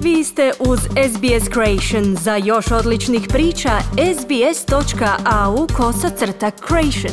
Vi ste uz SBS Creation. Za još odličnih priča, sbs.au/creation.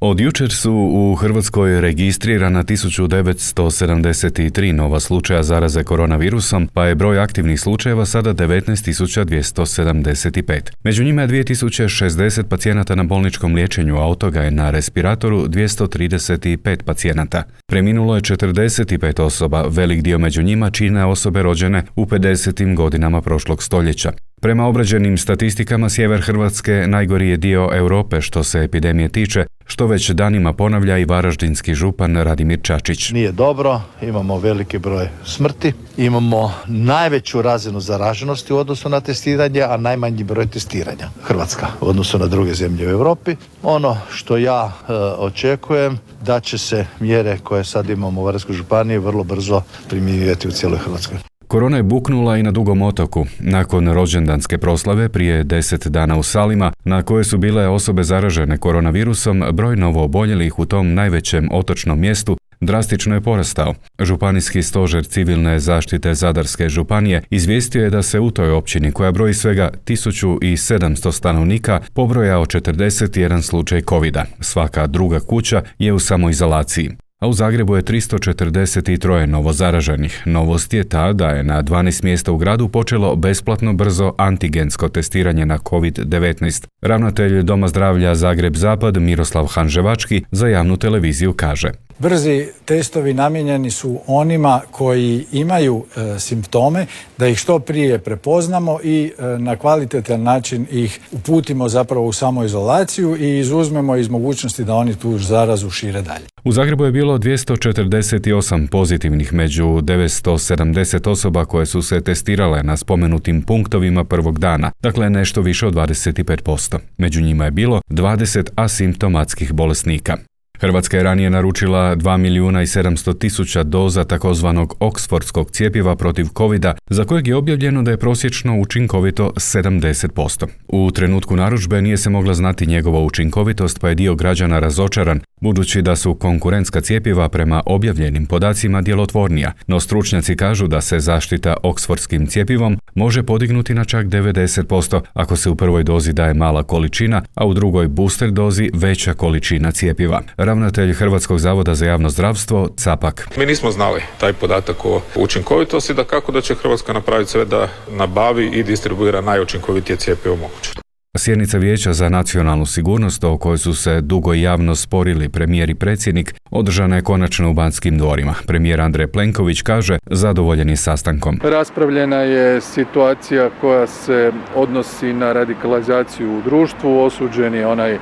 Od jučer su u Hrvatskoj registrirana 1973 nova slučaja zaraze koronavirusom, pa je broj aktivnih slučajeva sada 19.275. Među njima je 2060 pacijenata na bolničkom liječenju, a od toga je na respiratoru 235 pacijenata. Preminulo je 45 osoba, velik dio među njima čine osobe rođene u 50. godinama prošlog stoljeća. Prema obrađenim statistikama, sjever Hrvatske najgori je dio Europe što se epidemije tiče, što već danima ponavlja i varaždinski župan Radimir Čačić. Nije dobro, imamo veliki broj smrti, imamo najveću razinu zaraženosti u odnosu na testiranje, a najmanji broj testiranja. Hrvatska u odnosu na druge zemlje u Europi. Ono što ja očekujem da će se mjere koje sad imamo u Varaždinskoj županiji vrlo brzo primjenjivati u cijeloj Hrvatskoj. Korona je buknula i na Dugom otoku. Nakon rođendanske proslave prije 10 dana u Salima, na koje su bile osobe zaražene koronavirusom, broj novooboljelih u tom najvećem otočnom mjestu drastično je porastao. Županijski stožer civilne zaštite Zadarske županije izvijestio je da se u toj općini, koja broji svega 1700 stanovnika, pobrojao 41 slučaj covida. Svaka druga kuća je u samoizolaciji. A u Zagrebu je 343 novozaraženih. Novost je ta da je na 12 mjesta u gradu počelo besplatno brzo antigensko testiranje na COVID-19. Ravnatelj Doma zdravlja Zagreb Zapad Miroslav Hanževački za javnu televiziju kaže: Brzi testovi namijenjeni su onima koji imaju simptome, da ih što prije prepoznamo i na kvalitetan način ih uputimo zapravo u samoizolaciju i izuzmemo iz mogućnosti da oni tu zarazu šire dalje. U Zagrebu je bilo 248 pozitivnih među 970 osoba koje su se testirale na spomenutim punktovima prvog dana, dakle nešto više od 25%. Među njima je bilo 20 asimptomatskih bolesnika. Hrvatska je ranije naručila 2.700.000 doza takozvanog oksfordskog cjepiva protiv covida, za kojeg je objavljeno da je prosječno učinkovito 70%. U trenutku narudžbe nije se mogla znati njegova učinkovitost, pa je dio građana razočaran, budući da su konkurentska cjepiva prema objavljenim podacima djelotvornija, no stručnjaci kažu da se zaštita oksfordskim cjepivom može podignuti na čak 90% ako se u prvoj dozi daje mala količina, a u drugoj booster dozi veća količina cjepiva. Ravnatelj Hrvatskog zavoda za javno zdravstvo Capak: Mi nismo znali taj podatak o učinkovitosti, da kako da će Hrvatska napraviti sve da nabavi i distribuira najučinkovitije cjepivo moguće. Sjednica Vijeća za nacionalnu sigurnost, o kojoj su se dugo i javno sporili premijer i predsjednik, održana je konačno u Banskim dvorima. Premijer Andrej Plenković kaže zadovoljan je sastankom. Raspravljena je situacija koja se odnosi na radikalizaciju u društvu, osuđen je onaj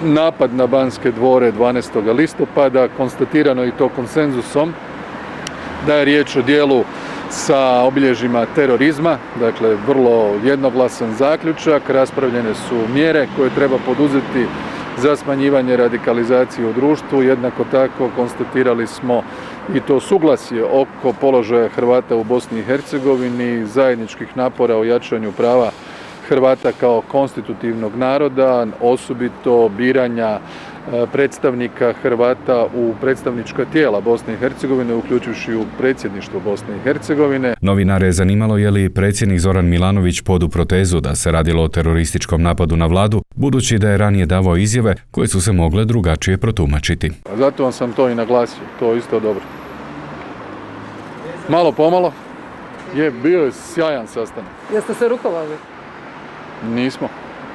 napad na Banske dvore 12. listopada, konstatirano i to konsenzusom da je riječ o dijelu sa obilježjima terorizma, dakle vrlo jednoglasan zaključak. Raspravljene su mjere koje treba poduzeti za smanjivanje radikalizacije u društvu. Jednako tako konstatirali smo i to suglasje oko položaja Hrvata u Bosni i Hercegovini, zajedničkih napora o jačanju prava Hrvata kao konstitutivnog naroda, osobito biranja predstavnika Hrvata u predstavnička tijela Bosne i Hercegovine, uključujući u predsjedništvo Bosne i Hercegovine. Novinare je zanimalo je li predsjednik Zoran Milanović podupro tezu da se radilo o terorističkom napadu na vladu, budući da je ranije davao izjave koje su se mogle drugačije protumačiti. Zato vam sam to i naglasio, to je isto dobro. Malo pomalo, bio je sjajan sastanak. Jeste se rukovali? Nismo.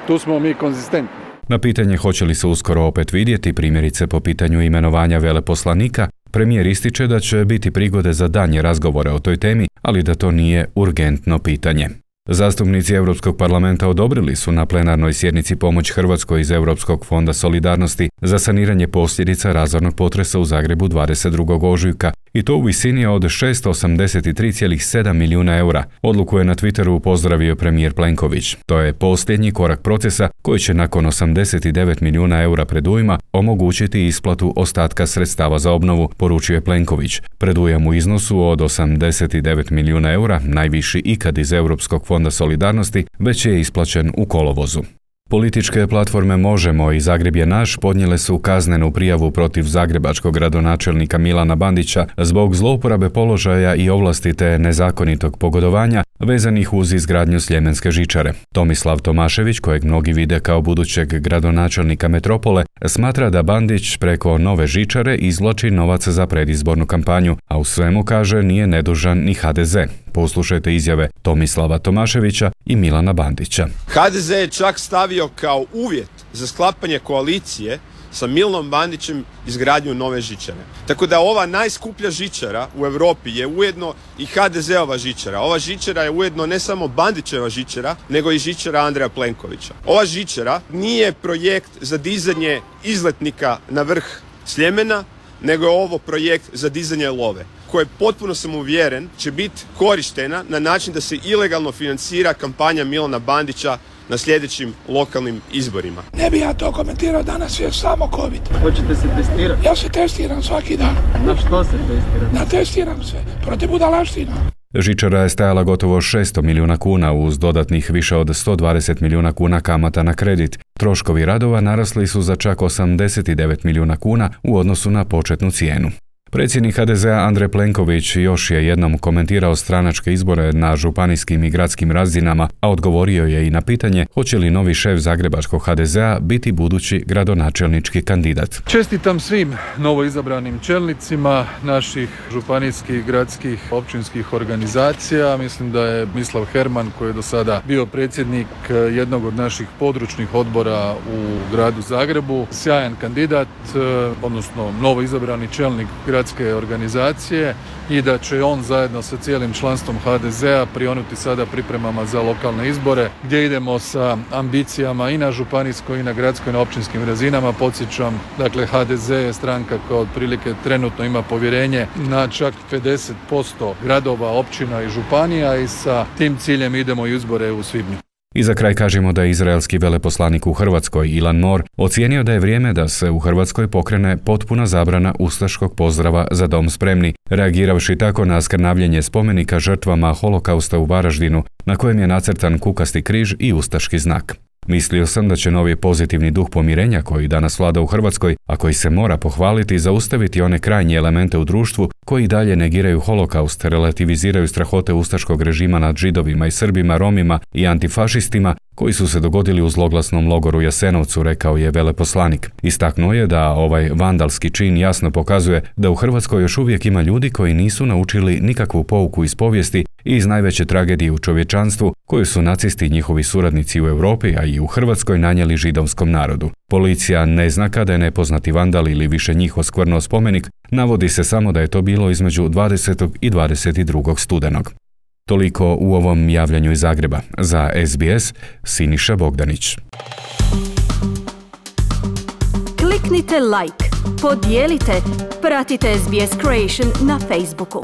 Tu smo mi konzistentni. Na pitanje hoće li se uskoro opet vidjeti, primjerice po pitanju imenovanja veleposlanika, premijer ističe da će biti prigode za daljnje razgovore o toj temi, ali da to nije urgentno pitanje. Zastupnici Europskog parlamenta odobrili su na plenarnoj sjednici pomoć Hrvatskoj iz Europskog fonda solidarnosti za saniranje posljedica razornog potresa u Zagrebu 22. ožujka, i to u visini od 683,7 milijuna eura. Odluku je na Twitteru pozdravio premijer Plenković. To je posljednji korak procesa koji će nakon 89 milijuna eura predujma omogućiti isplatu ostatka sredstava za obnovu, poručio je Plenković. Predujam u iznosu od 89 milijuna eura, najviši ikad iz Europskog fonda solidarnosti, već je isplaćen u kolovozu. Političke platforme Možemo i Zagreb je naš podnijele su kaznenu prijavu protiv zagrebačkog gradonačelnika Milana Bandića zbog zlouporabe položaja i ovlasti te nezakonitog pogodovanja vezanih uz izgradnju Sljemenske žičare. Tomislav Tomašević, kojeg mnogi vide kao budućeg gradonačelnika metropole, smatra da Bandić preko nove žičare izvlači novac za predizbornu kampanju, a u svemu, kaže, nije nedužan ni HDZ. Poslušajte izjave Tomislava Tomaševića i Milana Bandića. HDZ je čak stavio kao uvjet za sklapanje koalicije sa Milanom Bandićem izgradnju nove žičare. Tako da ova najskuplja žičara u Europi je ujedno i HDZ-ova žičara. Ova žičara je ujedno ne samo Bandićeva žičara, nego i žičara Andreja Plenkovića. Ova žičara nije projekt za dizanje izletnika na vrh Sljemena, nego je ovo projekt za dizanje love, koje potpuno sam uvjeren će biti korištena na način da se ilegalno financira kampanja Milana Bandića na sljedećim lokalnim izborima. Ne bi ja to komentirao, danas je samo COVID. Hoćete se testirati? Ja se testiram svaki dan. Na što se testirate? Testiram se, protiv budalaština. Žičara je stajala gotovo 600 milijuna kuna uz dodatnih više od 120 milijuna kuna kamata na kredit. Troškovi radova narasli su za čak 89 milijuna kuna u odnosu na početnu cijenu. Predsjednik HDZ-a Andrej Plenković još je jednom komentirao stranačke izbore na županijskim i gradskim razinama, a odgovorio je i na pitanje hoće li novi šef zagrebačkog HDZ-a biti budući gradonačelnički kandidat. Čestitam svim novoizabranim čelnicima naših županijskih, gradskih, općinskih organizacija. Mislim da je Mislav Herman, koji je do sada bio predsjednik jednog od naših područnih odbora u gradu Zagrebu, sjajan kandidat, odnosno novoizabrani čelnik gradske organizacije i da će on zajedno sa cijelim članstvom HDZ-a prionuti sada pripremama za lokalne izbore gdje idemo sa ambicijama i na županijskoj i na gradskoj i na općinskim razinama. Podsjećam, dakle HDZ je stranka koja otprilike trenutno ima povjerenje na čak 50% gradova, općina i županija i sa tim ciljem idemo u izbore u svibnju. I za kraj kažemo da je izraelski veleposlanik u Hrvatskoj Ilan Mor ocijenio da je vrijeme da se u Hrvatskoj pokrene potpuna zabrana ustaškog pozdrava Za dom spremni, reagiravši tako na skrnavljenje spomenika žrtvama holokausta u Varaždinu, na kojem je nacrtan kukasti križ i ustaški znak. Mislio sam da će novi pozitivni duh pomirenja koji danas vlada u Hrvatskoj, a koji se mora pohvaliti, zaustaviti one krajnje elemente u društvu koji dalje negiraju holokaust, relativiziraju strahote ustaškog režima nad Židovima i Srbima, Romima i antifašistima koji su se dogodili u zloglasnom logoru Jasenovcu, rekao je veleposlanik. Istaknuo je da ovaj vandalski čin jasno pokazuje da u Hrvatskoj još uvijek ima ljudi koji nisu naučili nikakvu pouku iz povijesti i iz najveće tragedije u čovječanstvu koju su nacisti i njihovi suradnici u Europi, a i u Hrvatskoj nanijeli židovskom narodu. Policija ne zna kada je nepoznati vandal ili više njih oskvrnuo spomenik, navodi se samo da je to bilo između 20. i 22. studenog. Toliko u ovom javljanju iz Zagreba. Za SBS, Siniša Bogdanić. Kliknite like, podijelite, pratite SBS Creation na Facebooku.